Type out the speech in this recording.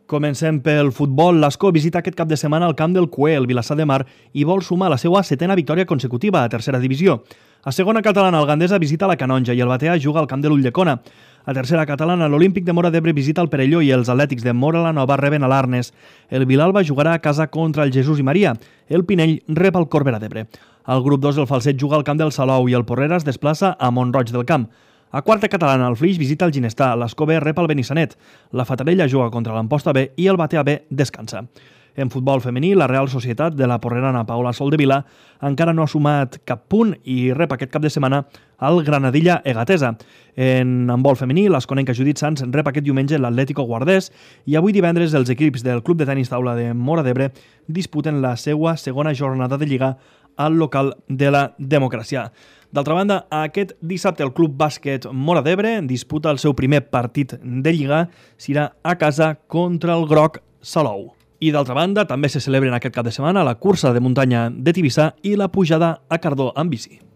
Comencem pel futbol. L'Escó visita aquest cap de setmana el camp del Cué, el Vilassar de Mar, i vol sumar la seva 7a victòria consecutiva a tercera divisió. A segona catalana, el Gandesa visita la Canonja i el Batea juga al camp de l'Ulldecona. A tercera catalana, l'Olímpic de Móra d'Ebre visita el Perelló i els Atlètics de Móra la Nova reben a l'Arnes. El Vilalba jugarà a casa contra el Jesús i Maria. El Pinell rep el Corbera d'Ebre. Al grup 2, el Falset juga al camp del Salou i el Porrera es desplaça a Mont-roig del Camp. A quarta catalana, el Flix visita el Ginestar, l'Escó B rep el Benissanet, la Fatarella juga contra l'Amposta B i el Batea B descansa. En futbol femení, la Real Societat de la porrerana Paula Soldevila encara no ha sumat cap punt i rep aquest cap de setmana al Granadilla Egatesa. En handbol femení, l'Esconenca Judit Sans rep aquest diumenge l'Atlético Guardés i avui divendres els equips del Club de Tenis Taula de Móra d'Ebre disputen la seva segona jornada de Lliga al local de la Democràcia. D'altra banda, aquest dissabte el Club Bàsquet Móra d'Ebre disputa el seu primer partit de Lliga, serà a casa contra el Groc Salou. I d'altra banda, també se celebren aquest cap de setmana la cursa de muntanya de Tivissa i la pujada a Cardó amb bici.